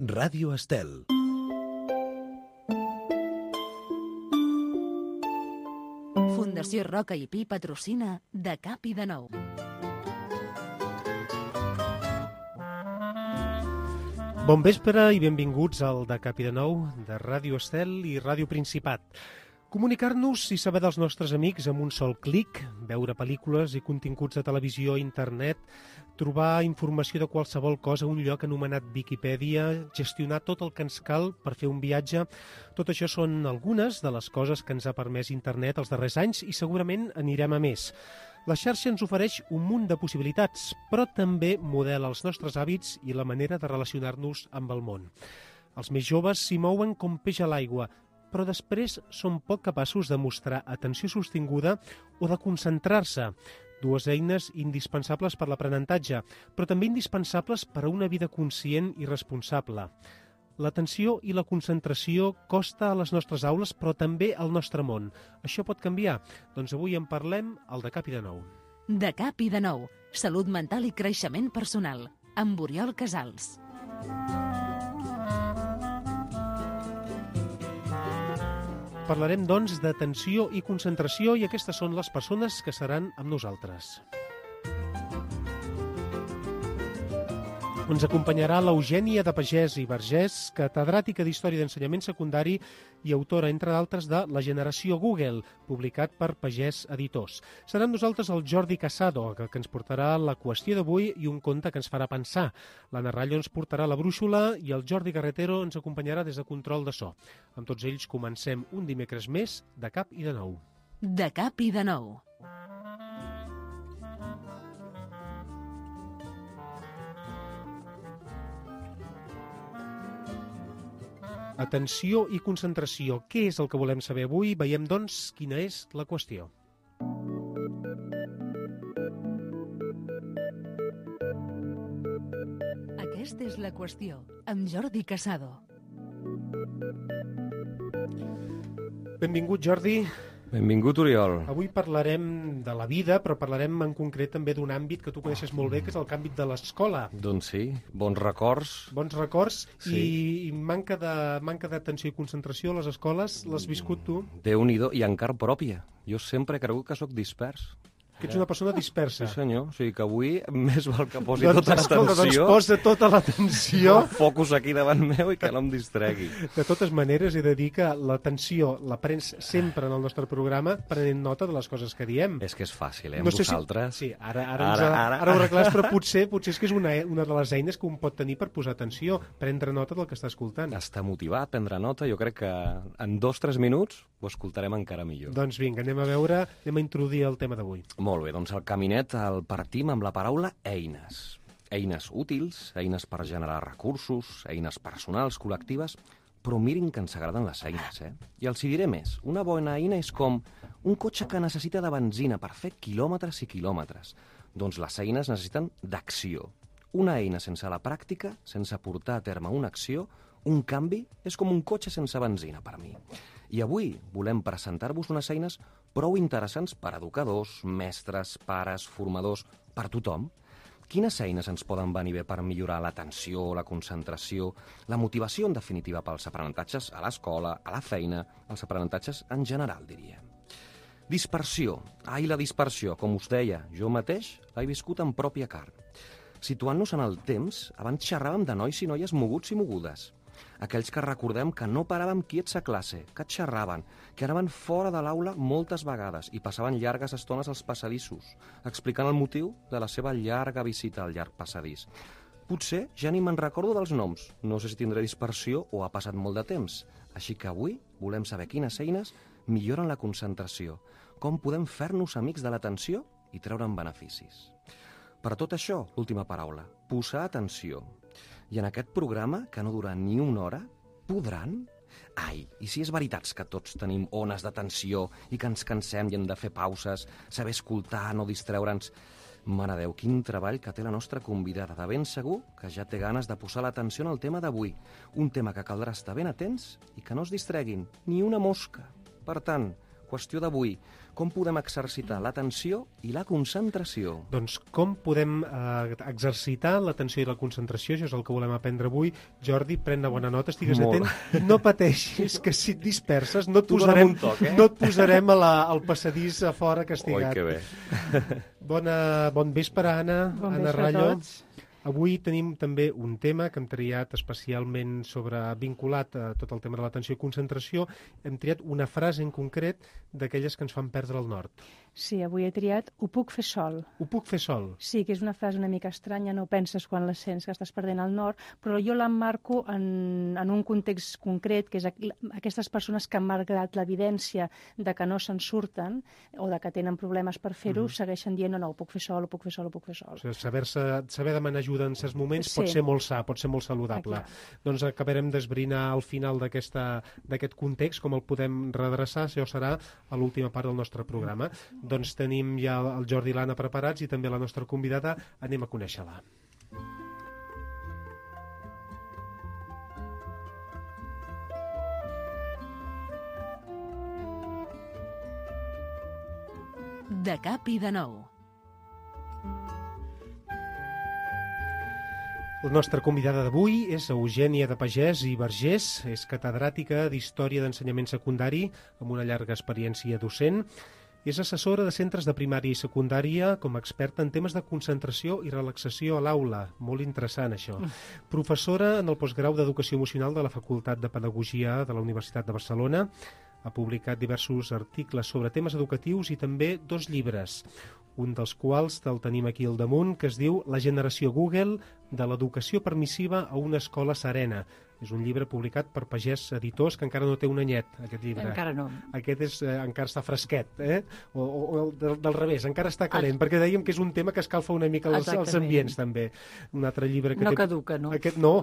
Ràdio Estel. Fundació Roca i Pi patrocina De Cap i de Nou. Bon vespre i benvinguts al De Cap i de Nou de Ràdio Estel i Ràdio Principat. Comunicar-nos i saber dels nostres amics amb un sol clic, veure pel·lícules i continguts de televisió i internet, trobar informació de qualsevol cosa a un lloc anomenat Viquipèdia, gestionar tot el que ens cal per fer un viatge. Tot això són algunes de les coses que ens ha permès internet els darrers anys i segurament anirem a més. La xarxa ens ofereix un munt de possibilitats, però també modela els nostres hàbits i la manera de relacionar-nos amb el món. Els més joves s'hi mouen com peix a l'aigua, però després són poc capaços de mostrar atenció sostinguda o de concentrar-se. Dues eines indispensables per l'aprenentatge, però també indispensables per a una vida conscient i responsable. L'atenció i la concentració costa a les nostres aules, però també al nostre món. Això pot canviar? Doncs avui en parlem al De Cap i de Nou. De Cap i de Nou. Salut mental i creixement personal. Amb Oriol Casals. Parlarem, doncs, d'atenció i concentració i aquestes són les persones que seran amb nosaltres. Ens acompanyarà l'Eugènia de Pagès i Vergés, catedràtica d'Història d'Ensenyament Secundari i autora, entre d'altres, de La generació Google, publicat per Pagès Editors. Serà amb nosaltres el Jordi Casado, que ens portarà la qüestió d'avui i un conte que ens farà pensar. L'Anna Rallo ens portarà la brúixola i el Jordi Carretero ens acompanyarà des de control de so. Amb tots ells comencem un dimecres més de Cap i de Nou. De Cap i de Nou. Atenció i concentració. Què és el que volem saber avui? Veiem, doncs, quina és la qüestió. Aquesta és la qüestió, amb Jordi Casado. Benvingut, Jordi. Benvingut, Oriol. Avui parlarem de la vida, però parlarem en concret també d'un àmbit que tu coneixes molt bé, que és el àmbit de l'escola. Doncs sí, bons records. Bons records Sí. i manca d'atenció i concentració a les escoles. L'has viscut tu? Déu-n'hi-do, i encara pròpia. Jo sempre he cregut que sóc dispers. Que ets una persona dispersa. Sí, senyor. O sigui que avui més val que posi Doncs, tota escolta, l'atenció, posa tota l'atenció. focus aquí davant meu i que no em distregui. De totes maneres, he de dir que l'atenció la prens sempre en el nostre programa prenent nota de les coses que diem. És que és fàcil, amb No sé vosaltres. Sí, ara ho arreglàs, però potser és que és una de les eines que un pot tenir per posar atenció, prendre nota del que està escoltant. Està motivat, prendre nota. Jo crec que en 2-3 minuts ho escoltarem encara millor. Doncs vinga, anem a introduir el tema d'avui. Molt bé, doncs el caminet el partim amb la paraula eines. Eines útils, eines per generar recursos, eines personals, col·lectives, però mirin que ens agraden les eines, I els hi diré més. Una bona eina és com un cotxe que necessita de benzina per fer quilòmetres i quilòmetres. Doncs les eines necessiten d'acció. Una eina sense la pràctica, sense portar a terme una acció, un canvi, és com un cotxe sense benzina per mi. I avui volem presentar-vos unes eines prou interessants per a educadors, mestres, pares, formadors, per tothom. Quines eines ens poden venir bé per millorar l'atenció, la concentració, la motivació, en definitiva, pels aprenentatges a l'escola, a la feina, els aprenentatges en general, diria. Dispersió. La dispersió, com us deia, jo mateix l'he viscut en pròpia carn. Situant-nos en el temps, abans xerràvem de nois i noies moguts i mogudes. Aquells que recordem que no paràvem quiets a classe, que xerraven, que anaven fora de l'aula moltes vegades i passaven llargues estones als passadissos, explicant el motiu de la seva llarga visita al llarg passadís. Potser ja ni me'n recordo dels noms, no sé si tindré dispersió o ha passat molt de temps. Així que avui volem saber quines eines milloren la concentració, com podem fer-nos amics de l'atenció i treure'n beneficis. Per tot això, l'última paraula, posar atenció. I en aquest programa, que no dura ni una hora, podran? I si és veritat que tots tenim ones d'atenció i que ens cansem i hem de fer pauses, saber escoltar, no distreure'ns... Mare Déu, quin treball que té la nostra convidada. De ben segur que ja té ganes de posar l'atenció en el tema d'avui. Un tema que caldrà estar ben atents i que no es distreguin, ni una mosca. Per tant, qüestió d'avui. Com podem exercitar l'atenció i la concentració? Doncs com podem exercitar l'atenció i la concentració? Això és el que volem aprendre avui. Jordi, pren una bona nota, estigues Molt. atent. No pateixis, que si et disperses no et Tu dona'm posarem, un toc, no et posarem al passadís a fora castigat. Oi, que bé. Bon vespre, Anna. Bon Anna vespre a Rallo. tots. Avui tenim també un tema que hem triat especialment vinculat a tot el tema de l'atenció i concentració. Hem triat una frase en concret d'aquelles que ens fan perdre el nord. Sí, avui he triat "ho puc fer sol". Ho puc fer sol? Sí, que és una frase una mica estranya, no penses quan la sents que estàs perdent el nord, però jo l'emmarco en un context concret, que és aquestes persones que, malgrat l'evidència de que no se'n surten o de que tenen problemes per fer-ho, segueixen dient no, ho puc fer sol, ho puc fer sol, ho puc fer sol. O sigui, saber demanar ajuda en certs moments Sí. pot ser molt sa, pot ser molt saludable. Doncs acabarem d'esbrinar al final d'aquest context, com el podem redreçar, això serà a l'última part del nostre programa. Doncs tenim ja el Jordi i l'Anna preparats i també la nostra convidada. Anem a conèixer-la. De cap i de nou. La nostra convidada d'avui és Eugènia de Pagès i Vergés, és catedràtica d'Història d'Ensenyament Secundari amb una llarga experiència docent. És assessora de centres de primària i secundària com a experta en temes de concentració i relaxació a l'aula. Molt interessant, això. Professora en el postgrau d'Educació Emocional de la Facultat de Pedagogia de la Universitat de Barcelona. Ha publicat diversos articles sobre temes educatius i també 2 llibres, un dels quals el tenim aquí al damunt, que es diu La generació Google, de l'educació permissiva a una escola serena. És un llibre publicat per Pagès Editors, que encara no té un anyet, aquest llibre. Encara no. Aquest encara està fresquet, o del revés, encara està calent, perquè dèiem que és un tema que escalfa una mica els ambients, també. Un altre llibre que no caduca, no? No,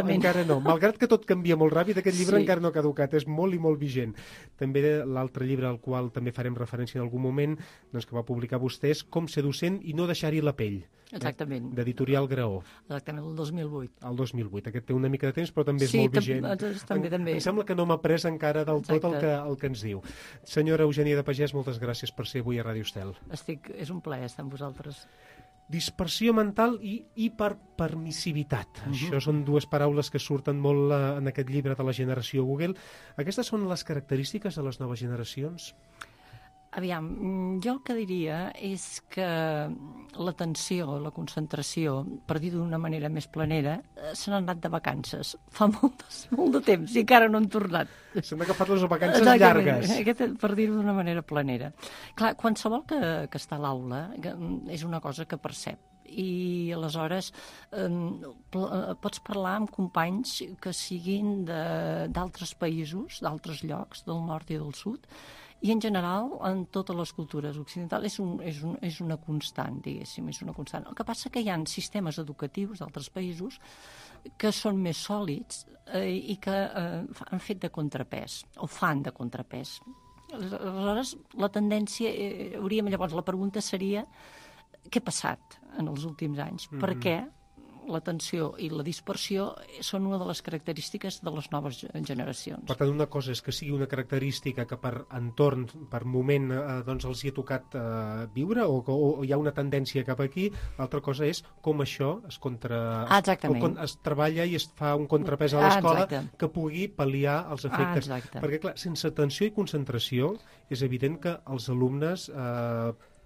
encara no. Malgrat que tot canvia molt ràpid, aquest llibre Sí. encara no ha caducat, és molt i molt vigent. També l'altre llibre al qual també farem referència en algun moment, doncs, que va publicar vostè, és Com ser docent i no deixar-hi la pell. Exactament. D'Editorial Graó. Exactament, el 2008. El 2008. Aquest té una mica de temps, però també és Sí, molt vigent. també. Em sembla que no m'ha pres encara del tot el que ens diu. Senyora Eugènia de Pagès, moltes gràcies per ser avui a Ràdio Estel. És un plaer estar amb vosaltres. Dispersió mental i hiperpermissivitat. Això són 2 paraules que surten molt en aquest llibre de la generació Google. Aquestes són les característiques de les noves generacions? Aviam, jo el que diria és que l'atenció, la concentració, per dir d'una manera més planera, se n'han anat de vacances. Fa molt de temps i encara no han tornat. S'han agafat les vacances llargues. Aquest, per dir-ho d'una manera planera. Clar, qualsevol que està a l'aula és una cosa que percep. I aleshores pots parlar amb companys que siguin d'altres països, d'altres llocs, del nord i del sud, i en general en totes les cultures occidentals és una constant, diguéssim, és una constant. El que passa que hi ha sistemes educatius d'altres països que són més sòlids i que han fet de contrapès, o fan de contrapès. Aleshores, la tendència, llavors la pregunta seria què ha passat en els últims anys? Per què l'atenció i la dispersió són una de les característiques de les noves generacions? Per tant, una cosa és que sigui una característica que per entorn, per moment, doncs els hi ha tocat viure o hi ha una tendència cap aquí, l'altra cosa és com això es treballa i es fa un contrapès a l'escola que pugui pal·liar els efectes. Perquè, clar, sense atenció i concentració és evident que els alumnes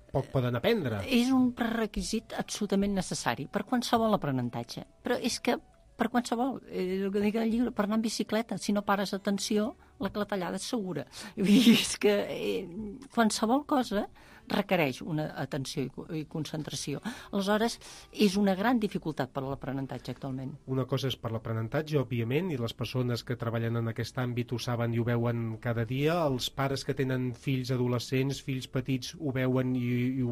poc poden aprendre. És un prerequisit absolutament necessari per qualsevol aprenentatge. Però és que per qualsevol, el que dic al llibre, per anar en bicicleta, si no pares atenció, la clatellada és segura. És que qualsevol cosa requereix una atenció i concentració. Aleshores, és una gran dificultat per a l'aprenentatge actualment. Una cosa és per l'aprenentatge, òbviament, i les persones que treballen en aquest àmbit ho saben i ho veuen cada dia. Els pares que tenen fills adolescents, fills petits, ho veuen i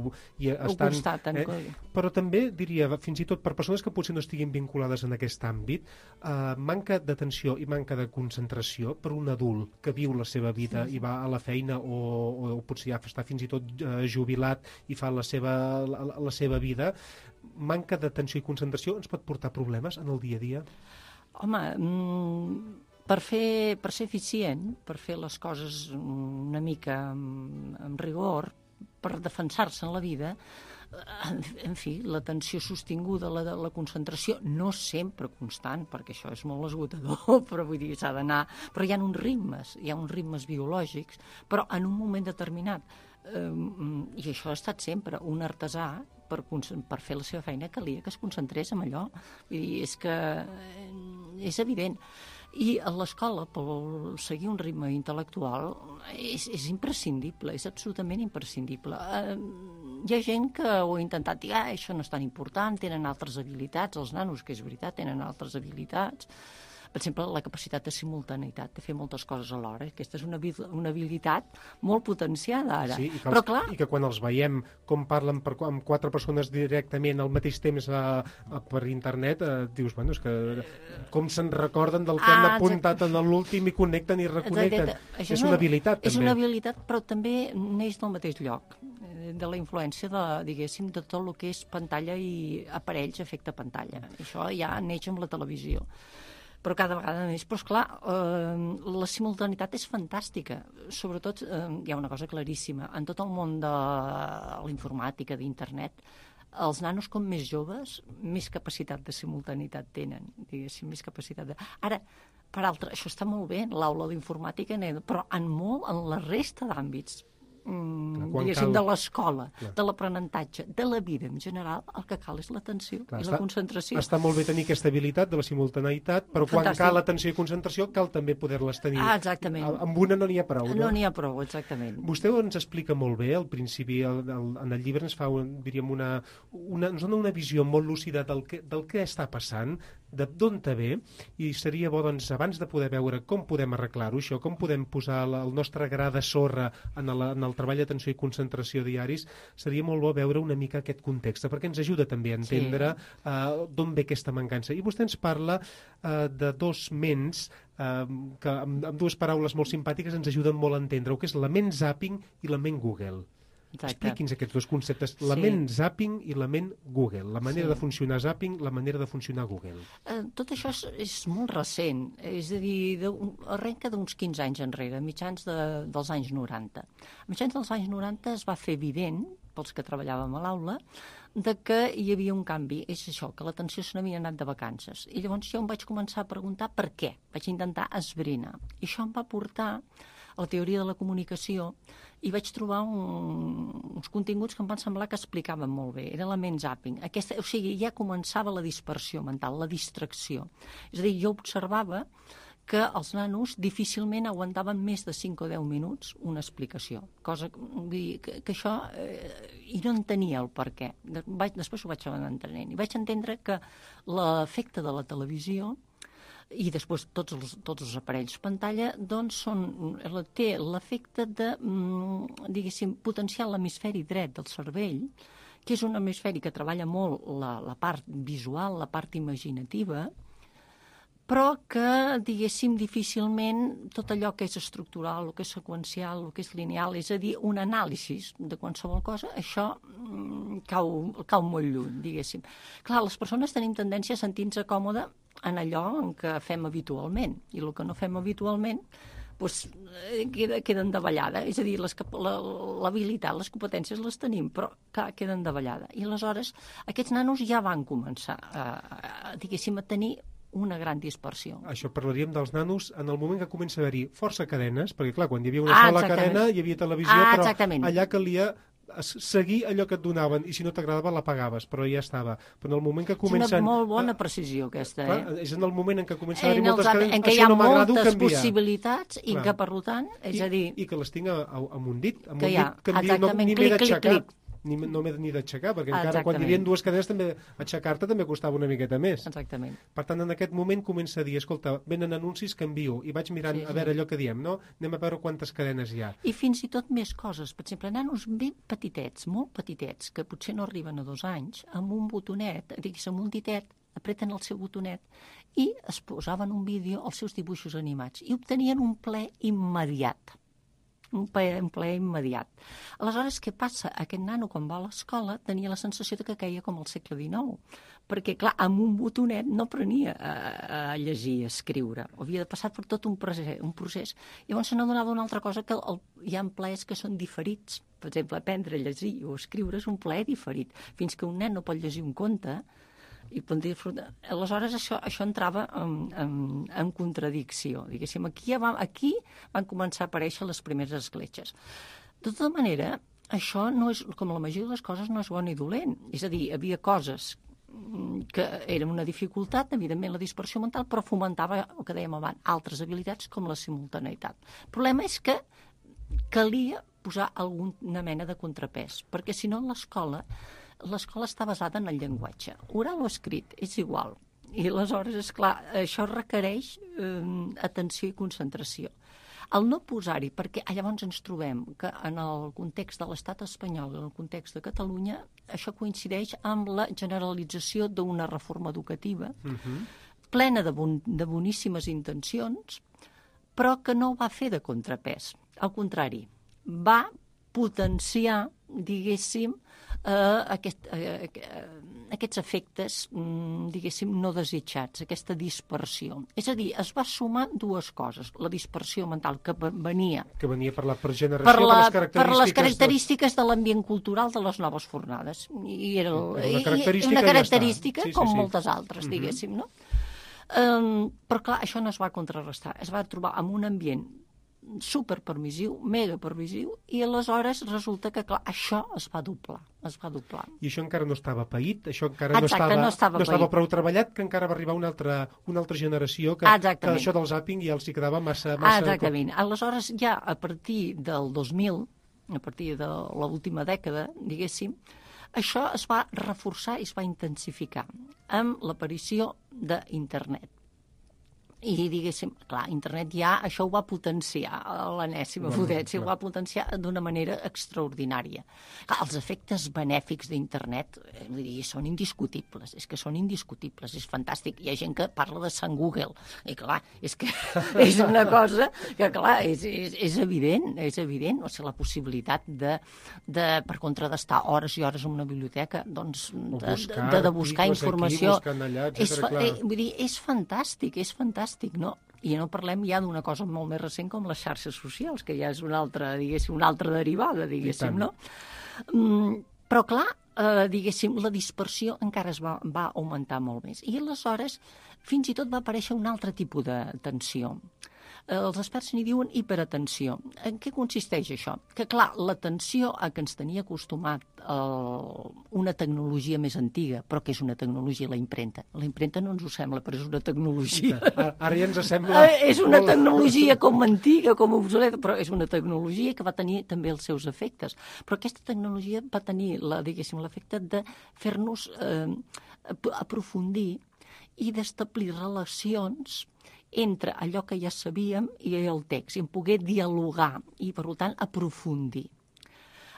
estan... Ho constaten. Però també, diria, fins i tot per persones que potser no estiguin vinculades en aquest àmbit, manca d'atenció i manca de concentració per un adult que viu la seva vida i va a la feina o potser ja està fins i tot jubilat i fa la seva vida, manca d'atenció i concentració ens pot portar problemes en el dia a dia? Home, per ser eficient, per fer les coses una mica amb rigor, per defensar-se en la vida, en fi, l'atenció sostinguda, la concentració, no sempre constant, perquè això és molt esgotador, però vull dir, s'ha d'anar... Però hi ha uns ritmes biològics, però en un moment determinat, i això ha estat sempre, un artesà, per fer la seva feina, calia que es concentrés en allò. Vull dir, és que és evident. I a l'escola, per seguir un ritme intel·lectual, és imprescindible, és absolutament imprescindible. Hi ha gent que ho ha intentat dir, això no és tan important, tenen altres habilitats, els nanos, que és veritat, tenen altres habilitats. Per exemple, la capacitat de simultaneïtat, de fer moltes coses alhora. Aquesta és una habilitat molt potenciada ara. Sí, però clar... I que quan els veiem com parlen amb 4 persones directament al mateix temps per internet, dius, bueno, és que com se'n recorden del que han apuntat en l'últim i connecten i reconnecten. És una habilitat, també. És una habilitat, però també neix del mateix lloc, de la influència diguéssim, de tot el que és pantalla i aparells efecte pantalla. Això ja neix amb la televisió. Però cada vegada més. Però, esclar, la simultaneïtat és fantàstica. Sobretot, hi ha una cosa claríssima. En tot el món de la informàtica, d'internet, els nanos, com més joves, més capacitat de simultaneïtat tenen, diguéssim, més capacitat de... Ara, per altra, això està molt bé, l'aula d'informàtica, però en la resta d'àmbits, diguéssim, de l'escola, de l'aprenentatge, de la vida en general, el que cal és l'atenció i la concentració. Està molt bé tenir aquesta habilitat de la simultaneïtat, però quan cal atenció i concentració cal també poder-les tenir. Exactament. Amb una no n'hi ha prou. No n'hi ha prou, exactament. Vostè ens explica molt bé, al principi, en el llibre ens fa, diríem, ens dona una visió molt lúcida del que està passant, d'on te ve, i seria bo, doncs, abans de poder veure com podem arreglar-ho, això, com podem posar el nostre gra de sorra en el treball d'atenció i concentració diaris, seria molt bo veure una mica aquest context, perquè ens ajuda també a entendre d'on ve aquesta mancança. I vostè ens parla de 2 ments que, amb 2 paraules molt simpàtiques, ens ajuden molt a entendre-ho, que és la ment zapping i la ment Google. Expliqui'ns aquests 2 conceptes, la ment zapping i la ment Google, la manera de funcionar zapping, la manera de funcionar Google. Tot això és molt recent, és a dir, arrenca d'uns 15 anys enrere, mitjans dels anys 90. A mitjans dels anys 90 es va fer evident, pels que treballàvem a l'aula, de que hi havia un canvi, és això, que l'atenció se n'havia anat de vacances. I llavors jo em vaig començar a preguntar per què, vaig intentar esbrinar. I això em va portar a la teoria de la comunicació i vaig trobar uns continguts que em van semblar que explicaven molt bé. Era la ment zapping. O sigui, ja començava la dispersió mental, la distracció. És a dir, jo observava que els nanos difícilment aguantaven més de 5 o 10 minuts una explicació. Cosa que això... I no entenia el per què. Després ho vaig anar entenent. I vaig entendre que l'efecte de la televisió i després tots els aparells pantalla, doncs té l'efecte de, diguéssim, potenciar l'hemisferi dret del cervell, que és un hemisferi que treballa molt la part visual, la part imaginativa, però que, diguéssim, difícilment tot allò que és estructural, el que és seqüencial, el que és lineal, és a dir, un anàlisi de qualsevol cosa, això cau molt lluny, diguéssim. Clar, les persones tenim tendència a sentir-nos còmode en allò en què fem habitualment, i el que no fem habitualment doncs, queden davallada. És a dir, l'habilitat, les competències les tenim, però queden davallada. I aleshores aquests nanos ja van començar diguéssim, a tenir una gran dispersió. Això parlaríem dels nanos en el moment que comença a haver-hi força cadenes, perquè clar, quan hi havia una sola cadena hi havia televisió, però allà calia seguir allò que et donaven, i si no t'agradava l'apagaves, però ja estava. Però en el moment que comencen... És una molt bona precisió aquesta, És en el moment en què comença a haver-hi moltes cadenes, en què hi ha moltes possibilitats i que, per tant, és a dir... I que les tinc amb un dit, no m'he d'aixecar. No m'he ni d'aixecar, perquè encara quan hi havia 2 cadenes també aixecar-te també costava una miqueta més. Exactament. Per tant, en aquest moment comença a dir, escolta, venen anuncis, canvio, i vaig mirant a veure allò que diem, no? Anem a veure quantes cadenes hi ha. I fins i tot més coses. Per exemple, nanos ben petitets, molt petitets, que potser no arriben a 2 anys, amb un botonet, digues, amb un ditet, apreten el seu botonet i es posaven un vídeo als seus dibuixos animats i obtenien un plaer immediat. un plaer immediat. Aleshores, què passa? Aquest nano, quan va a l'escola, tenia la sensació que queia com al segle XIX, perquè, clar, amb un botonet no aprenia a llegir i a escriure. Havia de passar per tot un procés. Llavors se n'adonava una altra cosa, que hi ha plaers que són diferits. Per exemple, aprendre a llegir o escriure és un plaer diferit. Fins que un nen no pot llegir un conte, i aleshores això entrava en contradicció. Diguéssim, aquí van començar a aparèixer les primeres escletxes. De tota manera, això no és, com la majoria de les coses, no és bon ni dolent. És a dir, hi havia coses que eren una dificultat, evidentment la dispersió mental, però fomentava, el que dèiem abans, altres habilitats com la simultaneïtat. El problema és que calia posar alguna mena de contrapès, perquè si no l'escola està basada en el llenguatge. Oral o escrit, és igual. I aleshores, esclar, això requereix atenció i concentració. El no posar-hi, perquè llavors ens trobem que en el context de l'estat espanyol, en el context de Catalunya, això coincideix amb la generalització d'una reforma educativa plena de boníssimes intencions, però que no va fer de contrapès. Al contrari, va potenciar, diguéssim, aquests efectes, diguéssim, no desitjats, aquesta dispersió. És a dir, es va sumar dues coses. La dispersió mental que venia... Que venia per generació, per les característiques de l'ambient cultural de les noves fornades. I era una característica com moltes altres, diguéssim, no? Però, clar, això no es va contrarrestar. Es va trobar en un ambient superpermissiu, mega permissiu, i aleshores resulta que, clar, això es va doblar. I això encara no estava paït, això encara no estava prou treballat, que encara va arribar una altra generació que això del zàping ja els hi quedava massa... Exactament. Aleshores, ja a partir del 2000, a partir de l'última dècada, diguéssim, això es va reforçar i es va intensificar amb l'aparició d'internet. I, diguéssim, clar, internet ja això ho va potenciar a l'enèsima potència, ho va potenciar d'una manera extraordinària. Clar, els efectes benèfics d'internet són indiscutibles, és que són indiscutibles, és fantàstic. Hi ha gent que parla de Sant Google, i clar, és que és una cosa que, clar, és evident, o sigui, la possibilitat per contra d'estar hores i hores en una biblioteca, doncs, de buscar informació. Vull dir, és fantàstic, no? I no parlem ja d'una cosa molt més recent com les xarxes socials, que ja és una altra derivada, diguéssim, no? Però, clar, diguéssim, la dispersió encara es va augmentar molt més. I aleshores, fins i tot va aparèixer un altre tipus de tensió. Els experts n'hi diuen hiperatenció. En què consisteix això? Que, clar, l'atenció a que ens tenia acostumat una tecnologia més antiga, però que és una tecnologia, la impremta. La impremta no ens ho sembla, però és una tecnologia. Ara ja ens sembla... És una tecnologia com antiga, com obsoleta, però és una tecnologia que va tenir també els seus efectes. Però aquesta tecnologia va tenir, l'efecte de fer-nos aprofundir i d'establir relacions entre allò que ja sabíem i el text, i en poder dialogar i, per tant, aprofundir.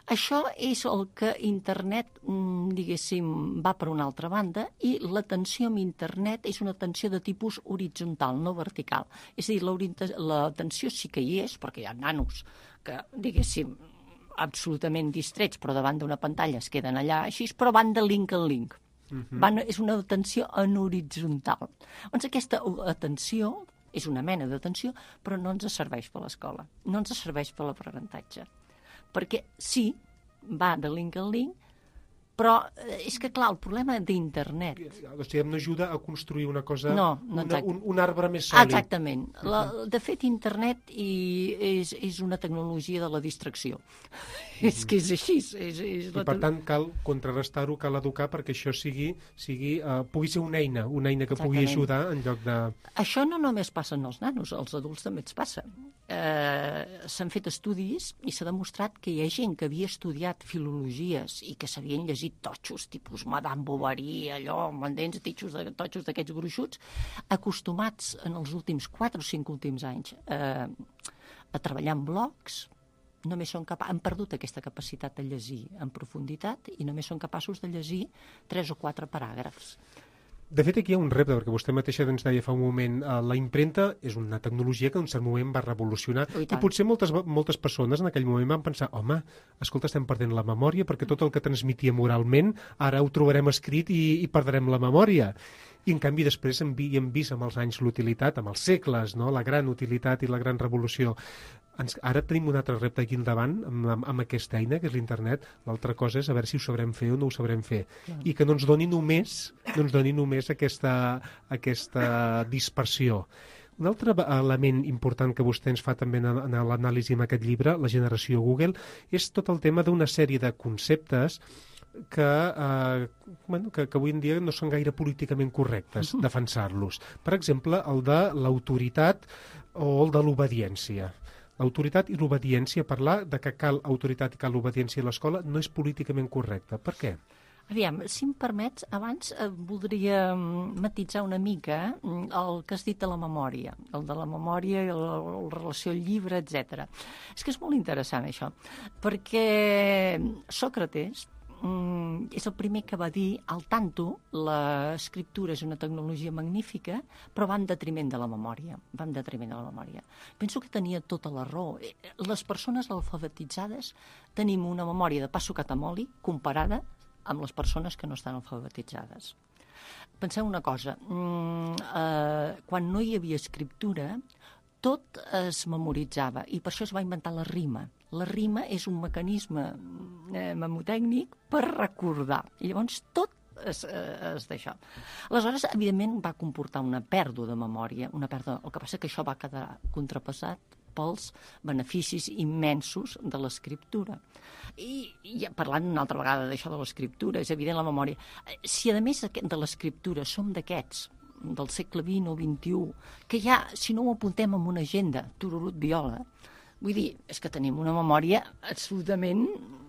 Això és el que internet, diguéssim, va per una altra banda, i l'atenció amb internet és una atenció de tipus horitzontal, no vertical. És a dir, l'atenció sí que hi és, perquè hi ha nanos que, diguéssim, absolutament distrets, però davant d'una pantalla es queden allà així, però van de link en link. És una atenció en horitzontal. Doncs aquesta atenció és una mena d'atenció, però no ens serveix per l'escola, no ens serveix per l'aprenentatge. Perquè sí, va de link en link, però és que, clar, el problema d'internet... O sigui, no ajuda a construir una cosa, un arbre més sòlid. Exactament. De fet, internet és una tecnologia de la distracció. És que és així. I, per tant, cal contrarrestar-ho, cal educar perquè això pugui ser una eina que pugui ajudar en lloc de... Això no només passa en els nanos, als adults també ens passa. S'han fet estudis i s'ha demostrat que hi ha gent que havia estudiat filologies i que s'havien llegit totxos, tipus Madame Bovary, allò, m'entens, totxos d'aquests gruixuts, acostumats en els últims 4 o 5 últims anys a treballar en blogs, només han perdut aquesta capacitat de llegir en profunditat i només són capaços de llegir 3 o 4 paràgrafs. De fet, aquí hi ha un repte, perquè vostè mateixa ens deia fa un moment, la impremta és una tecnologia que en un cert moment va revolucionar, i potser moltes persones en aquell moment van pensar, home, escolta, estem perdent la memòria, perquè tot el que transmetia moralment ara ho trobarem escrit i perdrem la memòria. I, en canvi, després hem vist amb els anys l'utilitat, amb els segles, no? La gran utilitat i la gran revolució. Ara tenim un altre repte aquí al davant amb aquesta eina, que és l'internet. L'altra cosa és a veure si ho sabrem fer o no ho sabrem fer. I que no ens doni només aquesta dispersió. Un altre element important que vostè ens fa també en l'anàlisi en aquest llibre, La generació Google, és tot el tema d'una sèrie de conceptes que avui en dia no són gaire políticament correctes defensar-los. Per exemple, el de l'autoritat o el de l'obediència. L'autoritat i l'obediència, parlar de que cal autoritat i cal obediència a l'escola no és políticament correcte. Per què? Aviam, si em permets, abans voldria matitzar una mica el que has dit de la memòria, el de la memòria i la relació al llibre, etc. És que és molt interessant això, perquè Sòcrates és el primer que va dir, al tanto, l'escriptura és una tecnologia magnífica, però va en detriment de la memòria. Penso que tenia tota la raó. Les persones alfabetitzades tenim una memòria de pa sucat amb oli comparada amb les persones que no estan alfabetitzades. Penseu una cosa, quan no hi havia escriptura, tot es memoritzava i per això es va inventar la rima. La rima és un mecanisme memotècnic per recordar. I llavors tot és d'això. Aleshores, evidentment, va comportar una pèrdua de memòria, el que passa que això va quedar contrapassat pels beneficis immensos de l'escriptura. I ja parlant una altra vegada d'això de l'escriptura, és evident la memòria. Si a més de l'escriptura som d'aquests, del segle XX o XXI, que ja, si no ho apuntem en una agenda, tururut viola, vull dir, és que tenim una memòria absolutament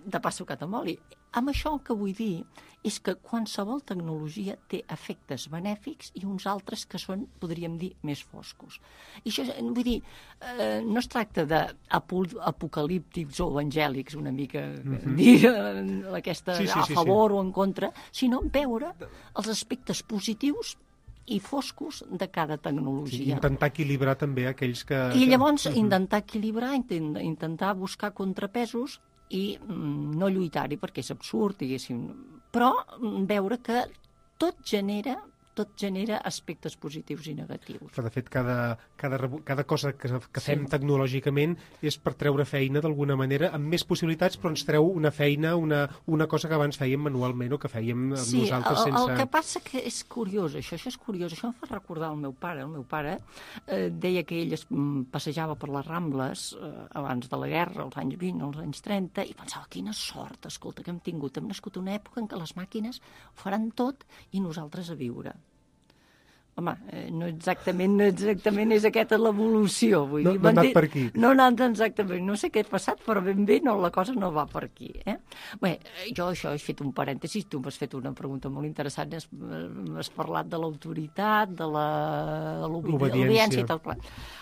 de pa sucat amb oli. Amb això el que vull dir és que qualsevol tecnologia té efectes benèfics i uns altres que són, podríem dir, més foscos. I això, vull dir, no es tracta d'apocalíptics o evangèlics, una mica, dir aquesta a favor o en contra, sinó veure els aspectes positius i foscos de cada tecnologia. Sí, intentar equilibrar també aquells que... I llavors intentar equilibrar, intentar buscar contrapesos i no lluitar-hi perquè és absurd, diguéssim, però veure que tot genera aspectes positius i negatius. Però, de fet, cada cosa que fem tecnològicament és per treure feina d'alguna manera, amb més possibilitats, però ens treu una feina, una cosa que abans fèiem manualment o que fèiem nosaltres sense... El que passa que és curiós, això és curiós. Això em fa recordar el meu pare. El meu pare deia que ell es passejava per les Rambles abans de la guerra, als anys 20, als anys 30, i pensava, quina sort, escolta, que hem tingut. Hem nascut una època en què les màquines ho faran tot i nosaltres a viure. Home, no exactament és aquesta l'evolució. No ha anat per aquí. No ha anat exactament. No sé què ha passat, però ben bé la cosa no va per aquí. Bé, jo això he fet un parèntesis, tu m'has fet una pregunta molt interessant, has parlat de l'autoritat, de l'obediència i tal.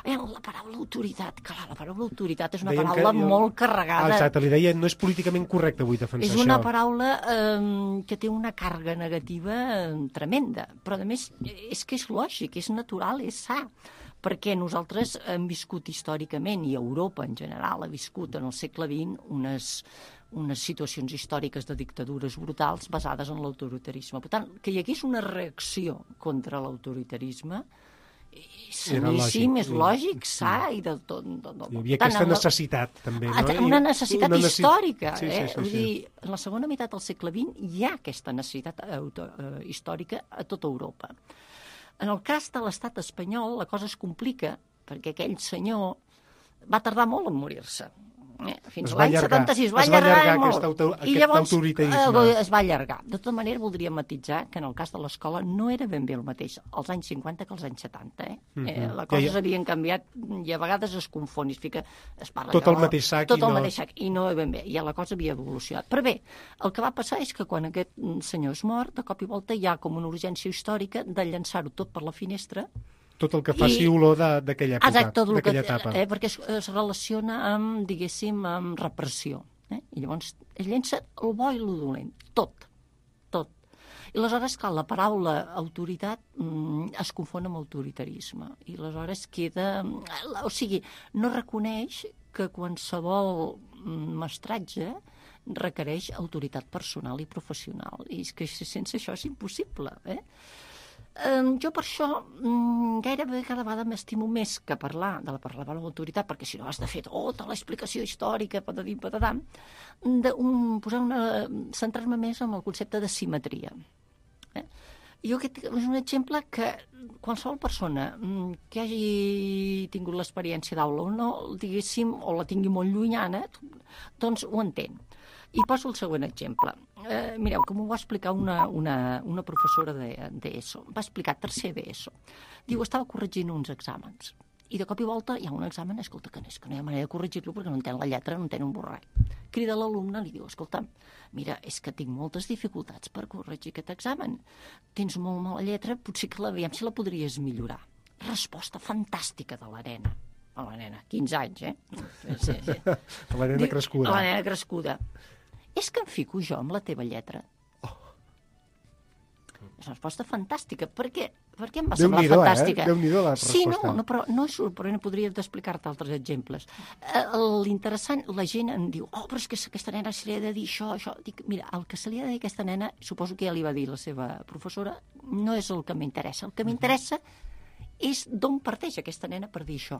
La paraula autoritat, clar, la paraula autoritat és una paraula molt carregada. Exacte, li deia, no és políticament correcte avui defensar això. És una paraula que té una càrrega negativa tremenda, però a més és que és lògic, és natural, és sa, perquè nosaltres hem viscut històricament, i Europa en general ha viscut en el segle XX unes situacions històriques de dictadures brutals basades en l'autoritarisme. Per tant, que hi hagués una reacció contra l'autoritarisme saníssim, és lògic, sa i de tot. Hi havia aquesta necessitat, també, no? Una necessitat històrica. Vull dir, en la segona meitat del segle XX hi ha aquesta necessitat històrica a tota Europa. En el cas de l'estat espanyol, la cosa es complica, perquè aquell senyor va tardar molt en morir-se. Fins l'any 76 va allargar molt. I llavors es va allargar. De tota manera, voldria matitzar que en el cas de l'escola no era ben bé el mateix als anys 50 que als anys 70. La cosa s'havien canviat i a vegades es confon. Es parla tot el mateix sac. Tot el mateix sac. I no ben bé. Ja la cosa havia evolucionat. Però bé, el que va passar és que quan aquest senyor és mort, de cop i volta hi ha com una urgència històrica de llançar-ho tot per la finestra. Tot el que faci olor d'aquella època, exacte, d'aquella etapa. Perquè es relaciona amb, diguéssim, amb repressió. I llavors es llença el bo i el dolent, tot. I aleshores, clar, la paraula autoritat es confon amb autoritarisme. I aleshores queda... O sigui, no reconeix que qualsevol mestratge requereix autoritat personal i professional. I és que sense això és impossible, jo per això gairebé cada vegada m'estimo més que parlar de la paraula autoritat, perquè si no has de fer tota l'explicació històrica, patadim, patadam, centrar-me més en el concepte de simetria. Jo aquest és un exemple que qualsevol persona que hagi tingut l'experiència d'aula o no, diguéssim, o la tingui molt llunyana, doncs ho entén. I poso el següent exemple. Mireu, com ho va explicar una professora d'ESO. Va explicar tercer d'ESO. Diu, estava corregint uns exàmens. I de cop i volta hi ha un examen, escolta, que no hi ha manera de corregir-lo perquè no entén la lletra, no entén un borrall. Crida l'alumne i li diu, escolta, mira, és que tinc moltes dificultats per corregir aquest examen. Tens molt mala lletra, potser que aviam si la podries millorar. Resposta fantàstica de la nena. La nena, 15 anys, Sí. La nena crescuda. La nena crescuda. És que em fico jo amb la teva lletra. És una resposta fantàstica. Per què em va semblar fantàstica? Déu-n'hi-do la resposta. Sí, però no és sorprenent, podria explicar-te altres exemples. L'interessant, la gent em diu, però és que aquesta nena se li ha de dir això. Dic, mira, el que se li ha de dir a aquesta nena, suposo que ja li va dir la seva professora, no és el que m'interessa. El que m'interessa és d'on parteix aquesta nena per dir això.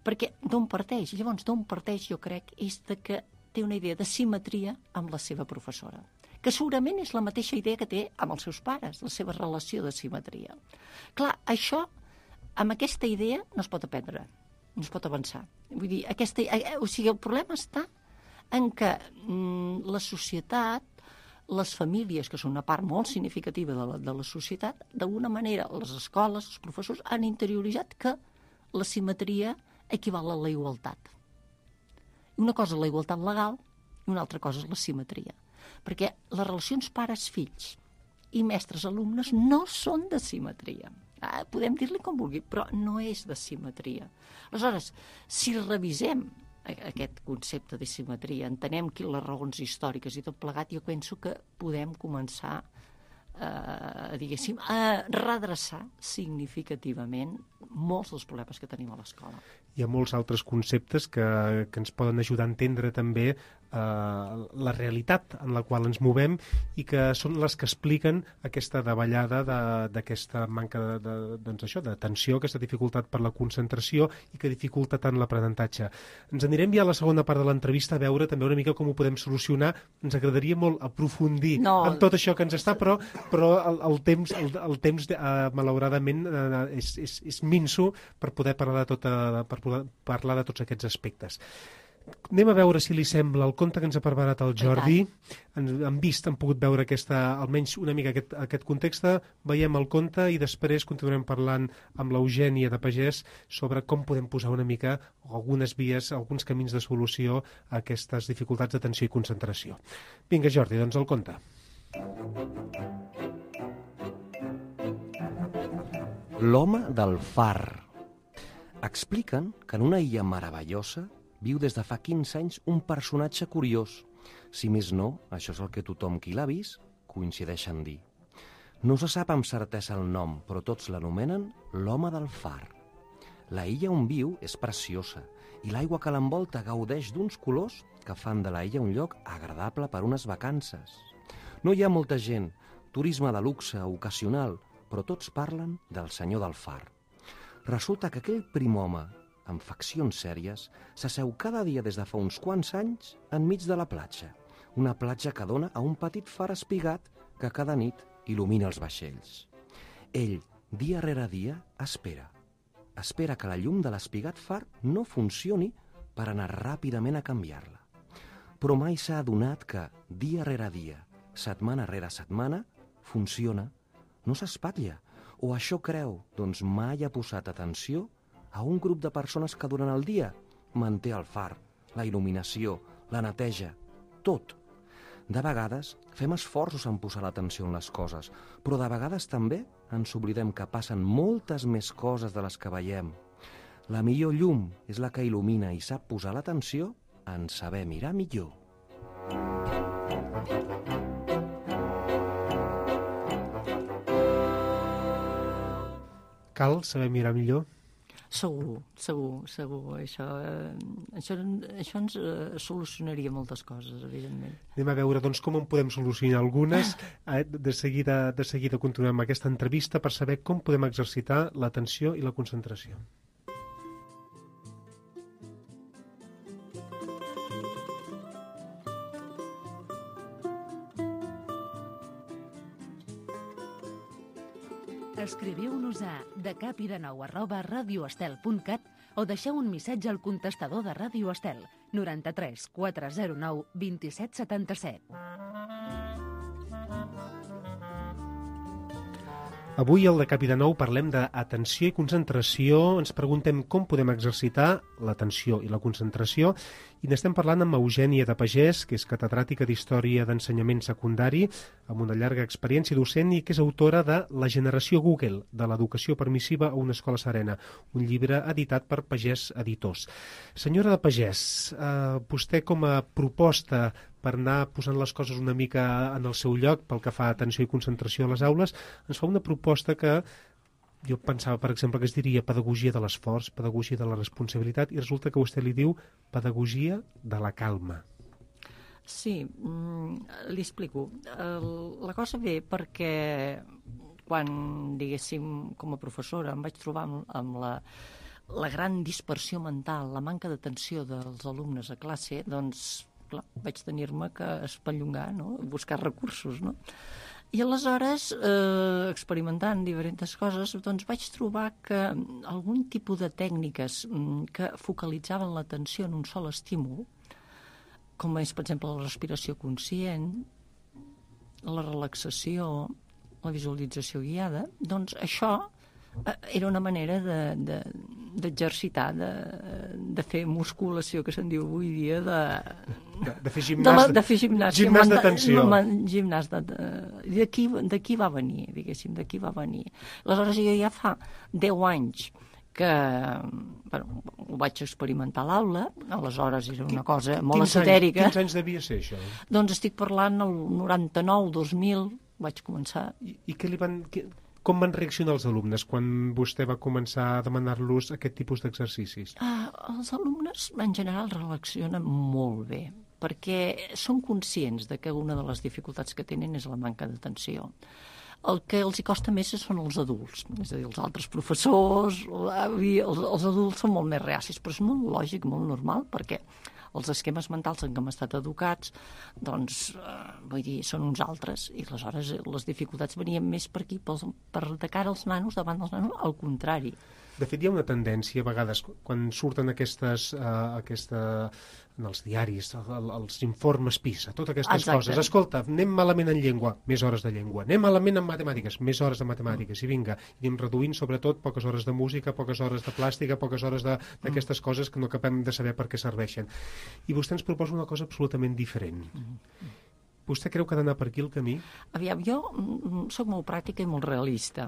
Perquè d'on parteix? Llavors, d'on parteix, jo crec, és de que té una idea de simetria amb la seva professora, que segurament és la mateixa idea que té amb els seus pares, la seva relació de simetria. Clar, això, amb aquesta idea, no es pot aprendre, no es pot avançar. Vull dir, el problema està en que la societat, les famílies, que són una part molt significativa de la societat, d'alguna manera, les escoles, els professors, han interioritzat que la simetria equival a la igualtat. Una cosa és la igualtat legal i una altra cosa és la simetria. Perquè les relacions pares-fills i mestres-alumnes no són de simetria. Podem dir-li com vulgui, però no és de simetria. Aleshores, si revisem aquest concepte de simetria, entenem les raons històriques i tot plegat, jo penso que podem començar a redreçar significativament molts dels problemes que tenim a l'escola. Hi ha molts altres conceptes que ens poden ajudar a entendre també la realitat en la qual ens movem i que són les que expliquen aquesta davallada d'aquesta manca d'atenció, aquesta dificultat per la concentració i que dificulta tant l'aprenentatge. Ens anirem ja a la segona part de l'entrevista a veure també una mica com ho podem solucionar. Ens agradaria molt aprofundir en tot això que ens està, però el temps malauradament és minso per poder parlar de tots aquests aspectes. Anem a veure si li sembla el conte que ens ha preparat el Jordi. Han pogut veure almenys una mica aquest context. Veiem el conte i després continuarem parlant amb l'Eugènia de Pagès sobre com podem posar una mica algunes vies, alguns camins de solució a aquestes dificultats d'atenció i concentració. Vinga, Jordi, doncs el conte. L'home del far. Expliquen que en una illa meravellosa viu des de fa 15 anys un personatge curiós. Si més no, això és el que tothom qui l'ha vist coincideix en dir. No se sap amb certesa el nom, però tots l'anomenen l'home del far. La illa on viu és preciosa i l'aigua que l'envolta gaudeix d'uns colors que fan de la illa un lloc agradable per unes vacances. No hi ha molta gent, turisme de luxe ocasional, però tots parlen del senyor del far. Resulta que aquell prim home, amb faccions sèries, s'asseu cada dia des de fa uns quants anys enmig de la platja. Una platja que dona a un petit far espigat que cada nit il·lumina els vaixells. Ell, dia rere dia, espera. Espera que la llum de l'espigat far no funcioni per anar ràpidament a canviar-la. Però mai s'ha adonat que, dia rere dia, setmana rere setmana, funciona, no s'espatlla, o això creu, doncs mai ha posat atenció a un grup de persones que durant el dia manté el far, la il·luminació, la neteja, tot. De vegades fem esforços en posar l'atenció en les coses, però de vegades també ens oblidem que passen moltes més coses de les que veiem. La millor llum és la que il·lumina i sap posar l'atenció en saber mirar millor. cal saber mirar millor? Segur. Això ens solucionaria moltes coses, evidentment. Anem a veure doncs, com en podem solucionar algunes. De seguida continuem aquesta entrevista per saber com podem exercitar l'atenció i la concentració. Escriviu-nos a decapidenou@radioestel.cat o deixeu un missatge al contestador de Ràdio Estel 93 409 2777. Avui al De Cap i de Nou parlem d'atenció i concentració. Ens preguntem com podem exercitar l'atenció i la concentració i n'estem parlant amb Eugènia de Pagès, que és catedràtica d'Història d'Ensenyament Secundari, amb una llarga experiència docent i que és autora de La generació Google, de l'educació permissiva a una escola serena, un llibre editat per Pagès Editors. Senyora de Pagès, vostè com a proposta per anar posant les coses una mica en el seu lloc pel que fa a atenció i concentració a les aules, ens fa una proposta que jo pensava, per exemple, que es diria pedagogia de l'esforç, pedagogia de la responsabilitat, i resulta que vostè li diu pedagogia de la calma. Sí, li explico. La cosa ve perquè quan, diguéssim, com a professora em vaig trobar amb la gran dispersió mental, la manca d'atenció dels alumnes a classe, doncs clar, vaig tenir-me que espellongar, no? Buscar recursos, no? I aleshores, experimentant diferents coses, doncs vaig trobar que algun tipus de tècniques que focalitzaven l'atenció en un sol estímul, com és, per exemple, la respiració conscient, la relaxació, la visualització guiada, doncs això era una manera d'exercitar, de fer musculació, que se'n diu avui dia, de fer gimnàs, de fer gimnàs d'atenció. Gimnàs d'aquí va venir, diguéssim, d'aquí va venir. Aleshores, jo ja fa 10 anys que ho vaig experimentar a l'aula, aleshores era una cosa molt esotèrica. Quins anys devia ser això? Doncs estic parlant el 99, 2000, vaig començar. I què li van... Com van reaccionar els alumnes quan vostè va començar a demanar-los aquest tipus d'exercicis? Els alumnes, en general, reaccionen molt bé, perquè són conscients de que una de les dificultats que tenen és la manca d'atenció. El que els hi costa més són els adults, és a dir, els altres professors, els adults són molt més reacis, però és molt lògic, molt normal, perquè els esquemes mentals en què hem estat educats, doncs, vull dir, són uns altres, i aleshores les dificultats venien més per aquí, de cara als nanos, davant dels nanos, al contrari. De fet, hi ha una tendència, a vegades, quan surten en els diaris, els informes PISA, totes aquestes coses. Escolta, anem malament en llengua, més hores de llengua. Anem malament en matemàtiques, més hores de matemàtiques. I vinga, anem reduint, sobretot, poques hores de música, poques hores de plàstica, poques hores d'aquestes coses que no acabem de saber per què serveixen. I vostè ens proposa una cosa absolutament diferent. Vostè creu que ha d'anar per aquí el camí? Aviam, jo soc molt pràctica i molt realista.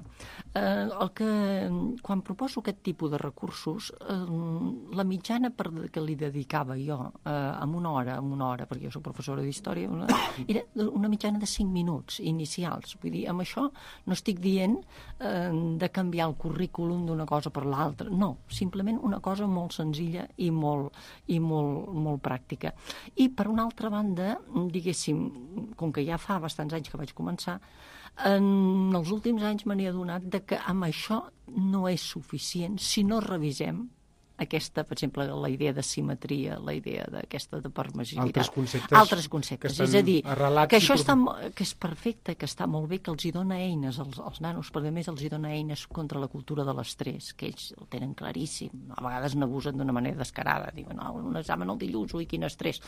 Quan proposo aquest tipus de recursos, la mitjana que li dedicava jo en una hora, perquè jo soc professora d'història, era una mitjana de 5 minuts inicials. Vull dir, amb això no estic dient de canviar el currículum d'una cosa per l'altra. No, simplement una cosa molt senzilla i molt pràctica. I, per una altra banda, diguéssim, com que ja fa bastants anys que vaig començar, en els últims anys me n'he adonat que amb això no és suficient si no revisem aquesta, per exemple, la idea de simetria, la idea d'aquesta de permissivitat. Altres conceptes. És a dir, que això que és perfecte, que està molt bé, que els hi dona eines als nanos, però a més els hi dona eines contra la cultura de l'estrès, que ells el tenen claríssim. A vegades n'abusen d'una manera descarada. Diuen, no, un examen el dilluns, ui, quin estrès.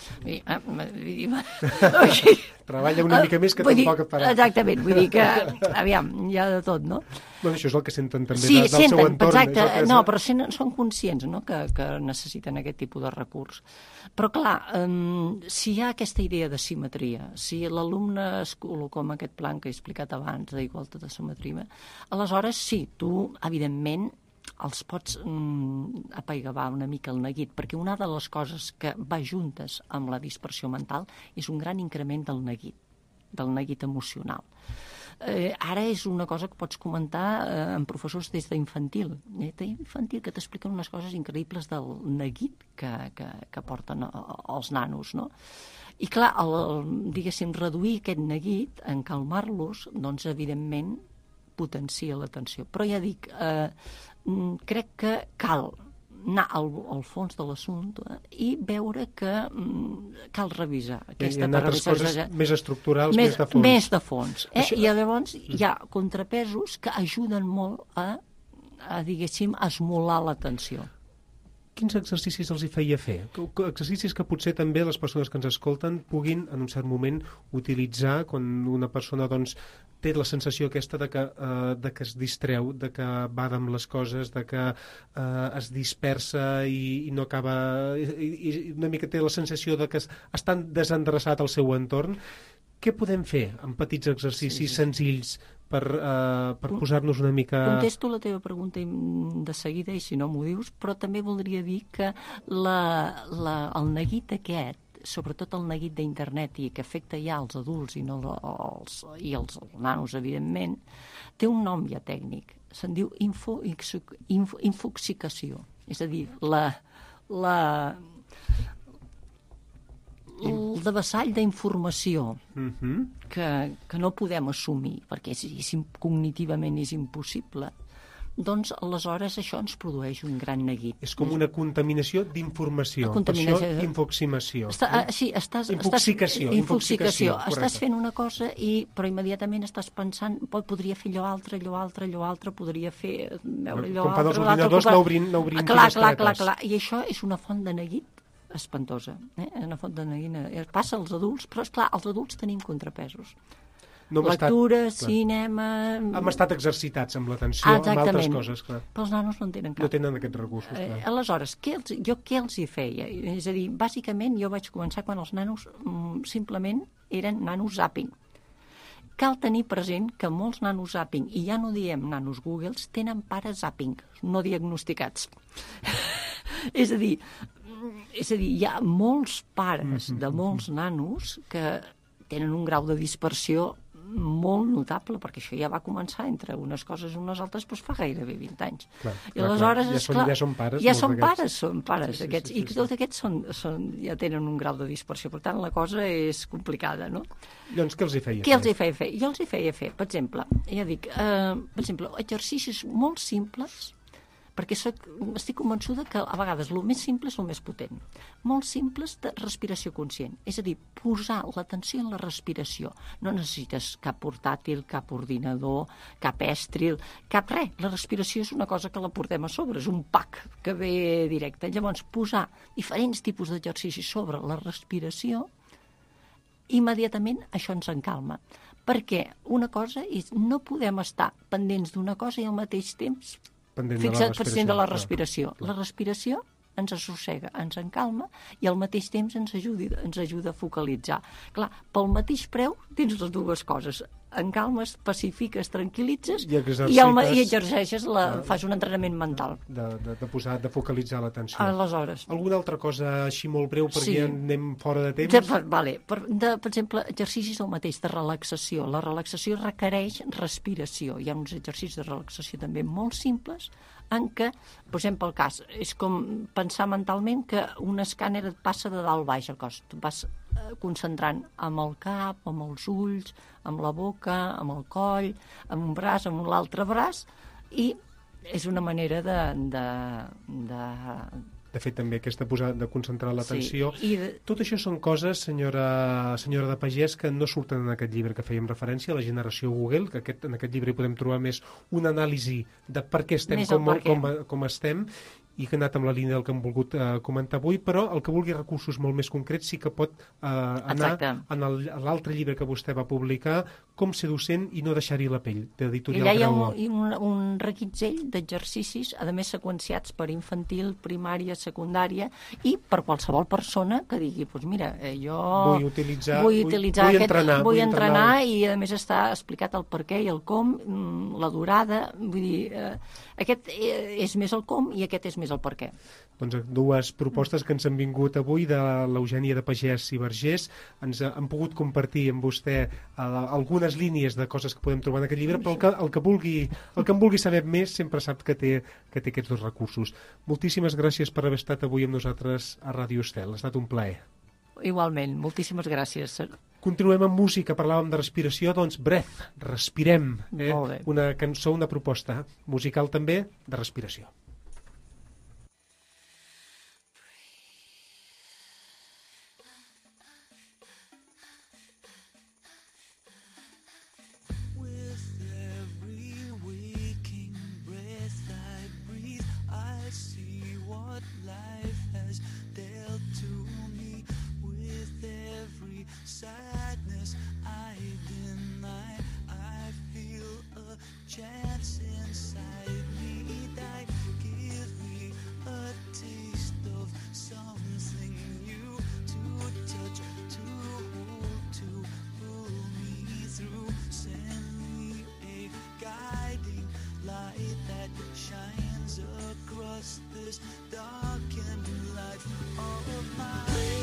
Treballa una mica més que tampoc et farà. Exactament, vull dir que, aviam, hi ha de tot, no? Bueno, això és el que senten també del seu entorn. Exacte, no, però són conscients, no?, que necessiten aquest tipus de recurs. Però, clar, si hi ha aquesta idea de simetria, si l'alumne es col·loca en aquest plan que he explicat abans, d'igualtat de simetria, aleshores sí, tu, evidentment, els pots apaigavar una mica el neguit, perquè una de les coses que va juntes amb la dispersió mental és un gran increment del neguit emocional. Ara és una cosa que pots comentar amb professors des d'infantil. D'infantil, que t'expliquen unes coses increïbles del neguit que porten els nanos, no? I clar, diguéssim, reduir aquest neguit, en calmar-los, doncs evidentment potencia l'atenció. Però ja dic, crec que cal anar al fons de l'assumpte i veure que cal revisar aquesta altres coses més estructurals, més de fons. Més de fons. I llavors hi ha contrapesos que ajuden molt a diguéssim, esmolar l'atenció. Quins exercicis els hi feia fer? Exercicis que potser també les persones que ens escolten puguin, en un cert moment, utilitzar quan una persona doncs, té la sensació aquesta de que es distreu, de que bada amb les coses, de que es dispersa i no acaba... I una mica té la sensació de que està desendreçat el seu entorn. Què podem fer amb petits exercicis senzills per posar-nos una mica... Contesto la teva pregunta de seguida, i si no m'ho dius, però també voldria dir que el neguit aquest, sobretot el neguit d'internet, i que afecta ja els adults i els nanos, evidentment, té un nom ja tècnic. Se'n diu infoxicació. És a dir, el devessall d'informació que no podem assumir, perquè cognitivament és impossible, doncs aleshores això ens produeix un gran neguit. És com una contaminació d'informació. Per això, infoximació. Infoxicació. Estàs fent una cosa, però immediatament estàs pensant, podria fer allò altre, podria fer veure allò altre. Com fan els ordinadors, n'obrim Clar. I això és una font de neguit espantosa. Una font de neguit. Passa als adults, però esclar, els adults tenim contrapesos. Lectura, cinema... Hem estat exercitats amb l'atenció, amb altres coses, clar. Però els nanos no en tenen cap. No tenen aquests recursos, clar. Aleshores, jo què els hi feia? És a dir, bàsicament jo vaig començar quan els nanos simplement eren nanos zapping. Cal tenir present que molts nanos zapping, i ja no diem nanos Googles, tenen pares zapping, no diagnosticats. És a dir, hi ha molts pares de molts nanos que tenen un grau de dispersió molt notable, perquè això ja va començar entre unes coses i unes altres doncs fa gairebé 20 anys. I aleshores, ja són pares. Ja són pares, aquests. I tots aquests ja tenen un grau de dispersió. Per tant, la cosa és complicada, no? Doncs què els hi feia? Què els hi feia fer? Jo els hi feia fer, per exemple, exercicis molt simples, perquè estic convençuda que a vegades el més simple és el més potent. Molt simples de respiració conscient. És a dir, posar l'atenció en la respiració. No necessites cap portàtil, cap ordinador, cap èstril, cap res. La respiració és una cosa que la portem a sobre, és un pack que ve directe. Llavors, posar diferents tipus d'exercicis sobre la respiració, immediatament això ens encalma. Perquè una cosa és, no podem estar pendents d'una cosa i al mateix temps pendent de la respiració. La respiració ens assossega, ens encalma i al mateix temps ens ajuda a focalitzar. Clar, pel mateix preu tens les dues coses. Encalmes, pacifiques, tranquil·litzes i exerceixes, fas un entrenament mental. De focalitzar l'atenció. Aleshores. Alguna altra cosa així molt breu perquè anem fora de temps? Vale. Per exemple, exercicis el mateix de relaxació. La relaxació requereix respiració. Hi ha uns exercicis de relaxació també molt simples en què, posem pel cas, és com pensar mentalment que un escàner et passa de dalt baix al cos. Tu vas concentrant amb el cap, amb els ulls, amb la boca, amb el coll, amb un braç, amb l'altre braç, i és una manera de fet, també aquesta posada de concentrar l'atenció. Sí, tot això són coses, senyora de Pagès, que no surten en aquest llibre que fèiem referència, La generació Google, que en aquest llibre hi podem trobar més una anàlisi de per què estem com estem, i que ha anat amb la línia del que hem volgut comentar avui, però el que vulgui recursos molt més concrets sí que pot anar en l'altre llibre que vostè va publicar, Com ser docent i no deixar-hi la pell, d'Editorial Graó. Hi ha un reguitzell d'exercicis, a més seqüenciats per infantil, primària, secundària, i per qualsevol persona que digui, doncs mira, jo vull entrenar i a més està explicat el per què i el com, la durada, vull dir, aquest és més el com i aquest és més és el per què. Doncs dues propostes que ens han vingut avui de l'Eugènia de Pagès i Vergés. Ens han pogut compartir amb vostè algunes línies de coses que podem trobar en aquest llibre, però el que en vulgui saber més sempre sap que té aquests dos recursos. Moltíssimes gràcies per haver estat avui amb nosaltres a Ràdio Estel. Ha estat un plaer. Igualment, moltíssimes gràcies. Continuem amb música, parlàvem de respiració, doncs Breath, respirem. Molt bé. Una cançó, una proposta musical també de respiració. Sadness I deny, I feel a chance inside me that give me a taste of something new to touch, to hold, to pull me through. Send me a guiding light that shines across this darkened life of mine.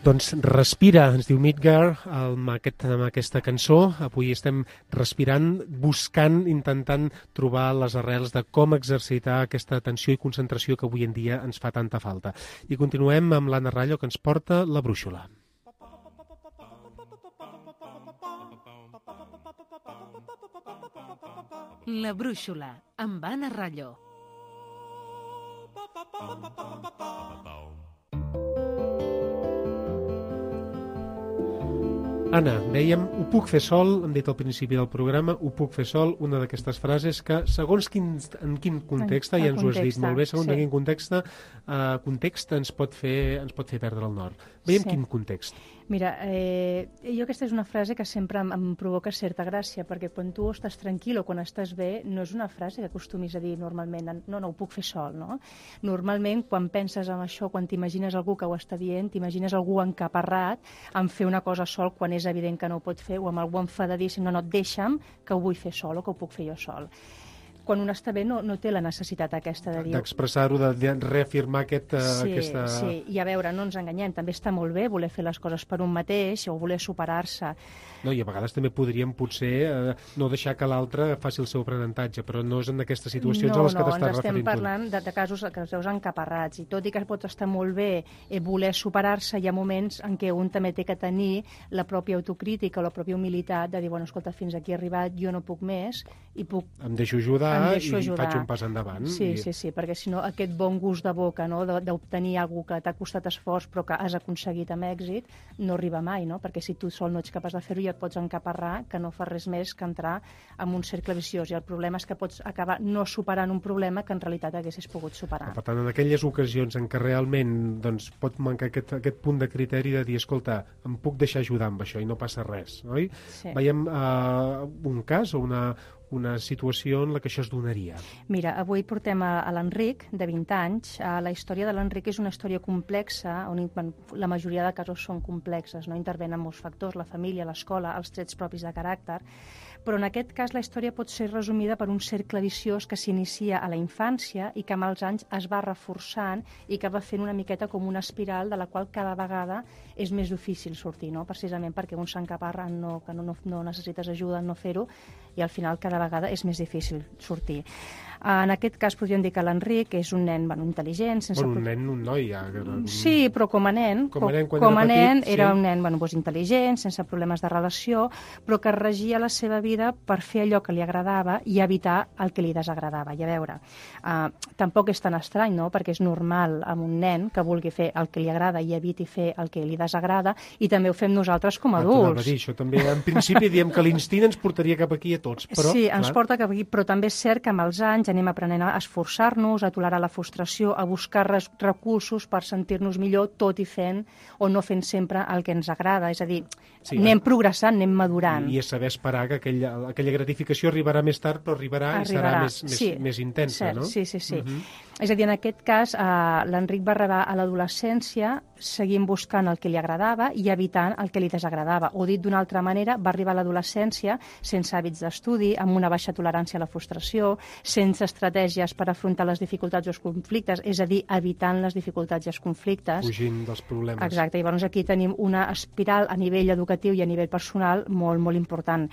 Doncs respira, ens diu Midgar amb aquesta cançó. Avui estem respirant, buscant, intentant trobar les arrels de com exercitar aquesta atenció i concentració que avui en dia ens fa tanta falta. I continuem amb l'Anna Rallo, que ens porta la brúixola. La brúixola, amb Anna Rallo. Anna, dèiem, ho puc fer sol, hem dit al principi del programa, ho puc fer sol, una d'aquestes frases que, segons en quin context, ja ens ho has dit molt bé, segons en quin context ens pot fer perdre el nord. Veiem quin context. Mira, jo aquesta és una frase que sempre em provoca certa gràcia, perquè quan tu estàs tranquil o quan estàs bé, no és una frase que acostumis a dir normalment, no, ho puc fer sol, no? Normalment, quan penses en això, quan t'imagines algú que ho està dient, t'imagines algú encaparrat en fer una cosa sol quan és evident que no ho pot fer, o amb algú enfadadíssim, no, deixa'm, que ho vull fer sol o que ho puc fer jo sol. Quan un està bé no té la necessitat aquesta de dir... D'expressar-ho, de reafirmar aquesta... Sí, i a veure, no ens enganyem, també està molt bé voler fer les coses per un mateix o voler superar-se. No, i a vegades també podríem potser no deixar que l'altre faci el seu aprenentatge, però no és en aquestes situacions a les que t'estàs referint. No, ens estem parlant de casos que els veus encaparrats, i tot i que pot estar molt bé voler superar-se, hi ha moments en què un també té que tenir la pròpia autocrítica o la pròpia humilitat de dir, bueno, escolta, fins aquí he arribat, jo no puc més, i puc... Em deixo ajudar i faig un pas endavant. Sí, perquè si no aquest bon gust de boca, no, d'obtenir alguna que t'ha costat esforç però que has aconseguit amb èxit, no arriba mai, no? Perquè si tu sol no ets capaç de fer-ho ja et pots encaparrar, que no fa res més que entrar en un cercle viciós, i el problema és que pots acabar no superant un problema que en realitat haguessis pogut superar. Per tant, en aquelles ocasions en què realment doncs, pot mancar aquest punt de criteri de dir, escolta, em puc deixar ajudar amb això i no passa res, oi? Sí. Veiem un cas o una situació en la que això es donaria. Mira, avui portem a l'Enric, de 20 anys. La història de l'Enric és una història complexa, on la majoria de casos són complexes, no intervenen molts factors, la família, l'escola, els trets propis de caràcter, però en aquest cas la història pot ser resumida per un cercle viciós que s'inicia a la infància i que amb els anys es va reforçant i que va fent una miqueta com una espiral de la qual cada vegada és més difícil sortir, no? Precisament perquè un s'encaparra que no necessites ajuda en no fer-ho, i al final cada vegada és més difícil sortir. En aquest cas podríem dir que l'Enric és un nen intel·ligent... un noi, ja. Sí, però com a nen, era un nen intel·ligent, sense problemes de relació, però que regia la seva vida per fer allò que li agradava i evitar el que li desagradava. I a veure, tampoc és tan estrany, no?, perquè és normal amb un nen que vulgui fer el que li agrada i eviti fer el que li desagrada, i també ho fem nosaltres com a adults. Això també, en principi, diem que l'instint ens portaria cap aquí a tots, però... Sí, ens porta cap aquí, però també és cert que amb els anys anem aprenent a esforçar-nos, a tolerar la frustració, a buscar recursos per sentir-nos millor, tot i fent o no fent sempre el que ens agrada. És a dir, anem progressant, anem madurant. I és saber esperar que aquella gratificació arribarà més tard, però arribarà. I serà més intensa, no? Sí. És a dir, en aquest cas, l'Enric va arribar a l'adolescència seguint buscant el que li agradava i evitant el que li desagradava. O dit d'una altra manera, va arribar a l'adolescència sense hàbits d'estudi, amb una baixa tolerància a la frustració, sense estratègies per afrontar les dificultats o els conflictes, és a dir, evitant les dificultats i els conflictes. Fugint dels problemes. Exacte, i llavors aquí tenim una espiral a nivell educatiu i a nivell personal molt, molt important.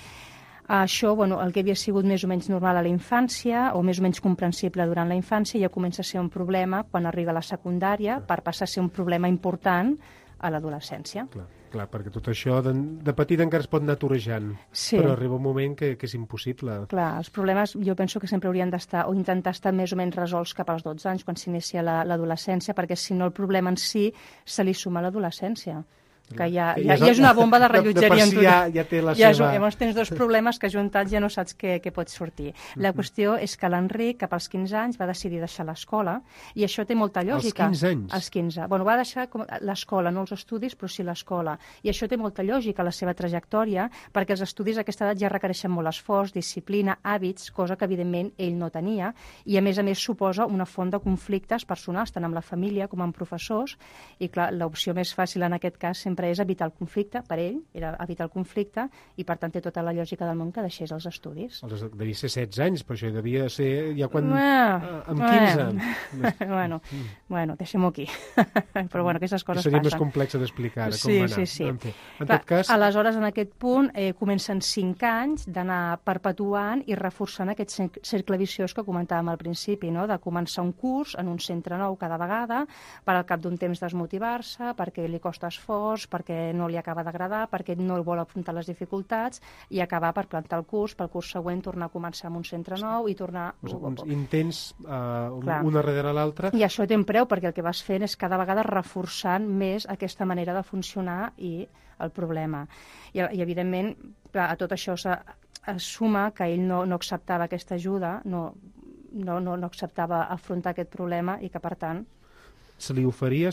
Això, el que havia sigut més o menys normal a la infància o més o menys comprensible durant la infància ja comença a ser un problema quan arriba a la secundària per passar a ser un problema important a l'adolescència. Clar, perquè tot això de petit encara es pot anar torejant, però arriba un moment que és impossible. Clar, els problemes jo penso que sempre haurien d'estar o intentar estar més o menys resolts cap als 12 anys quan s'inicia l'adolescència, perquè si no el problema en si se li suma a l'adolescència. Que ja és una bomba de rellotgeria. Ja té la seva... Llavors tens dos problemes que juntats ja no saps què pot sortir. La qüestió és que l'Enric, cap als 15 anys, va decidir deixar l'escola, i això té molta lògica. Als 15 anys? Als 15. Va deixar l'escola, no els estudis, però sí l'escola. I això té molta lògica a la seva trajectòria, perquè els estudis a aquesta edat ja requereixen molt esforç, disciplina, hàbits, cosa que evidentment ell no tenia, i a més suposa una font de conflictes personals, tant amb la família com amb professors, i clar, l'opció més fàcil en aquest cas sempre és evitar el conflicte, per ell era evitar el conflicte, i per tant té tota la lògica del món que deixés els estudis. Devia ser 16 anys, però això devia ser ja quan... amb 15. Bueno, deixem-ho aquí. Però aquestes coses seria passen. Més complex d'explicar com va anar. Sí. En tot cas... Aleshores, en aquest punt, comencen 5 anys d'anar perpetuant i reforçant aquest cercle viciós que comentàvem al principi, no?, de començar un curs en un centre nou cada vegada, per al cap d'un temps desmotivar-se, perquè li costa esforç, curs perquè no li acaba d'agradar, perquè no vol afrontar les dificultats i acabar per plantar el curs, pel curs següent tornar a començar en un centre nou i tornar... Uns intents una darrere l'altra. I això té un preu, perquè el que vas fent és cada vegada reforçant més aquesta manera de funcionar i el problema. I evidentment, a tot això es suma que ell no acceptava aquesta ajuda, no acceptava afrontar aquest problema i que, per tant... Se li va oferir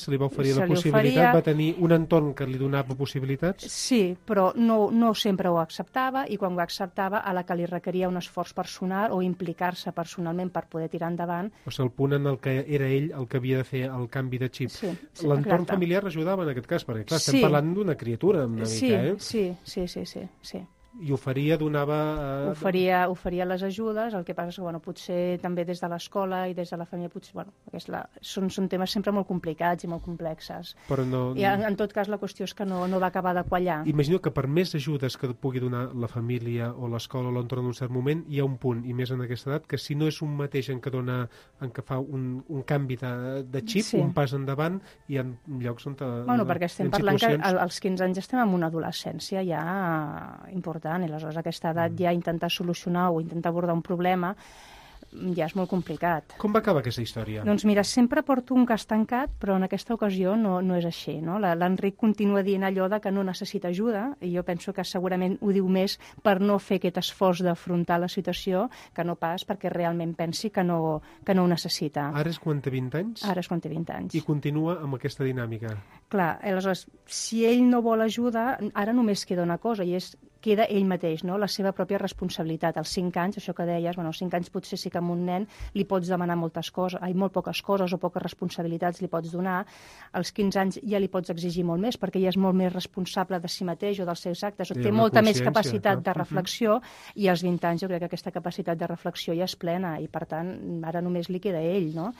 la possibilitat, va tenir un entorn que li donava possibilitats? Sí, però no sempre ho acceptava, i quan ho acceptava, a la que li requeria un esforç personal o implicar-se personalment per poder tirar endavant. O sigui, el punt en el que era ell el que havia de fer el canvi de xip. Sí, l'entorn familiar ajudava en aquest cas, perquè clar, estem parlant d'una criatura una mica, eh? Sí. I oferia, donava... Oferia les ajudes, el que passa és que potser també des de l'escola i des de la família són temes sempre molt complicats i molt complexes. Però I en tot cas la qüestió és que no va acabar de quallar. Imagino que per més ajudes que pugui donar la família o l'escola o l'entorn en un cert moment, hi ha un punt, i més en aquesta edat, que si no és un mateix en què fa un canvi de xip, un pas endavant, hi ha llocs on... perquè estem parlant que als 15 anys estem en una adolescència ja important, i aleshores a aquesta edat ja intentar solucionar o intentar abordar un problema ja és molt complicat. Com va acabar aquesta història? Doncs mira, sempre porto un cas tancat, però en aquesta ocasió no és així, no? L'Enric continua dient allò de que no necessita ajuda, i jo penso que segurament ho diu més per no fer aquest esforç d'afrontar la situació que no pas perquè realment pensi que no ho necessita. Ara és quan té 20 anys? Ara és quan té 20 anys. I continua amb aquesta dinàmica? Clar, aleshores, si ell no vol ajuda, ara només queda una cosa, i queda ell mateix, no? La seva pròpia responsabilitat. Als 5 anys, això que deies, als 5 anys potser sí que a un nen li pots demanar molt poques coses o poques responsabilitats li pots donar. Als 15 anys ja li pots exigir molt més, perquè ja és molt més responsable de si mateix o dels seus actes, o té molta més capacitat de reflexió, i als 20 anys jo crec que aquesta capacitat de reflexió ja és plena, i per tant ara només li queda ell, no?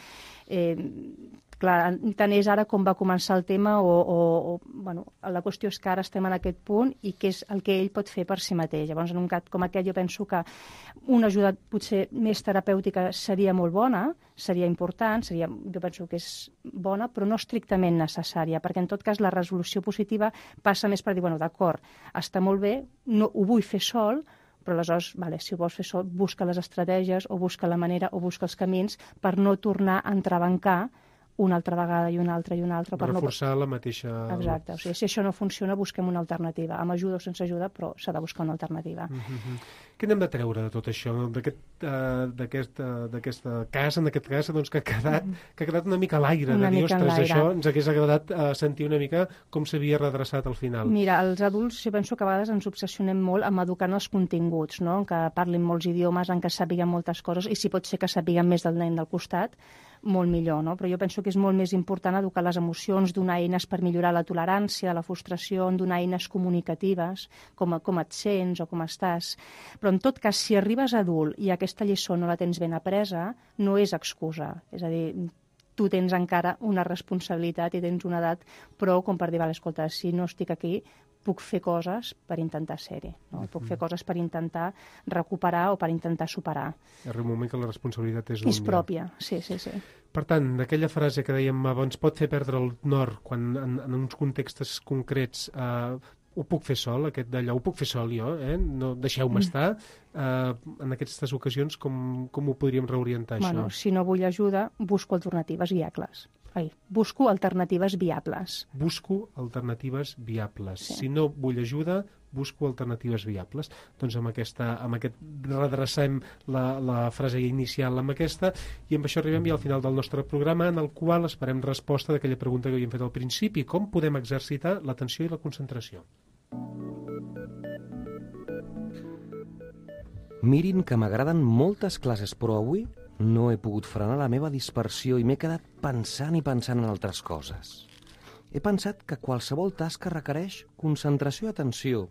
Clar, tant és ara com va començar el tema la qüestió és que ara estem en aquest punt i què és el que ell pot fer per si mateix. Llavors, en un cas com aquest, jo penso que una ajuda potser més terapèutica seria molt bona, seria important, jo penso que és bona, però no estrictament necessària, perquè en tot cas la resolució positiva passa més per dir, d'acord, està molt bé, no ho vull fer sol, però aleshores, si ho vols fer sol, busca les estratègies o busca la manera o busca els camins per no tornar a entrebancar una altra vegada i una altra i una altra. Reforçar la mateixa... Exacte. O sigui, si això no funciona, busquem una alternativa. Amb ajuda o sense ajuda, però s'ha de buscar una alternativa. Què n'hem de treure de tot això? D'aquest cas, en aquest cas, doncs, que ha quedat una mica a l'aire. De dir, ostres, això ens hagués agradat sentir una mica com s'havia redreçat al final. Mira, els adults, jo penso que a vegades ens obsessionem molt amb educar en els continguts, no? En que parlin molts idiomes, en què sàpiguen moltes coses, i si pot ser que sàpiguen més del nen del costat, molt millor, no? Però jo penso que és molt més important educar les emocions, donar eines per millorar la tolerància, la frustració, donar eines comunicatives, com et sents o com estàs. Però en tot cas, si arribes adult i aquesta lliçó no la tens ben apresa, no és excusa. És a dir, tu tens encara una responsabilitat i tens una edat prou com per dir, escolta, si no estic aquí, puc fer coses per intentar ser-hi, no? Puc fer coses per intentar recuperar o per intentar superar. Arriba un moment que la responsabilitat és pròpia, sí. Per tant, d'aquella frase que dèiem abans, pot fer perdre el nord quan en uns contextos concrets ho puc fer sol, aquest d'allò, ho puc fer sol jo, no deixeu-me estar. En aquestes ocasions, com ho podríem reorientar, això? Si no vull ajuda, busco alternatives viables. Busco alternatives viables. Busco alternatives viables. Sí. Si no vull ajuda, busco alternatives viables. Doncs amb aquest redrecem la frase inicial amb aquesta, i amb això arribem ja al final del nostre programa, en el qual esperem resposta d'aquella pregunta que havíem fet al principi: com podem exercitar l'atenció i la concentració? Mirin que m'agraden moltes classes, però avui no he pogut frenar la meva dispersió i m'he quedat pensant en altres coses. He pensat que qualsevol tasca requereix concentració i atenció.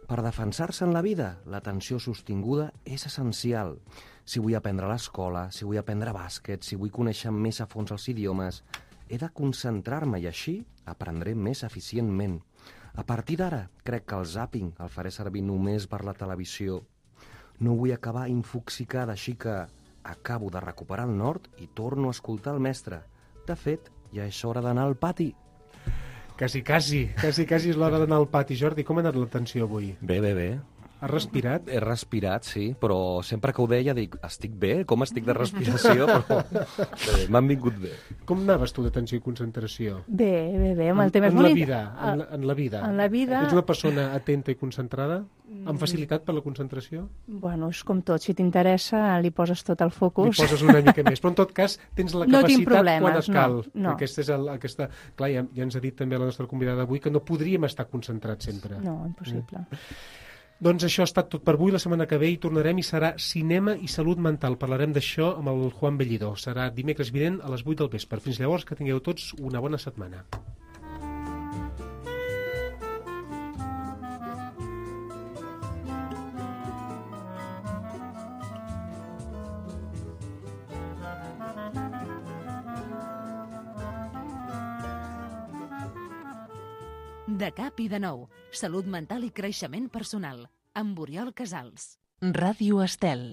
Per defensar-se en la vida, l'atenció sostinguda és essencial. Si vull aprendre a l'escola, si vull aprendre bàsquet, si vull conèixer més a fons els idiomes, he de concentrar-me i així aprendré més eficientment. A partir d'ara, crec que el zàping el faré servir només per la televisió. No vull acabar infoxicada, així que acabo de recuperar el nord i torno a escoltar el mestre. De fet, ja és hora d'anar al pati. Quasi és l'hora d'anar al pati. Jordi, com ha anat l'atenció avui? Bé. Has respirat? He respirat, sí, però sempre que ho deia dic, estic bé? Com estic de respiració? Però bé, m'han vingut bé. Com anaves tu d'atenció i concentració? Bé, amb el tema. En la vida. En la vida... Ets una persona atenta i concentrada? Amb facilitat per la concentració? Bueno, és com tot. Si t'interessa, li poses tot el focus. Li poses una mica més. Però en tot cas, tens la No tinc capacitat problemes, quan et cal. no. Aquesta és aquesta... Clar, ja ens ha dit també la nostra convidada d'avui que no podríem estar concentrats sempre. No, impossible. Doncs això ha estat tot per avui. La setmana que ve hi tornarem i serà cinema i salut mental. Parlarem d'això amb el Juan Bellido. Serà dimecres vinent a les 8 del vespre. Fins llavors, que tingueu tots una bona setmana. De cap i de nou. Salut mental i creixement personal. Amb Oriol Casals. Ràdio Estel.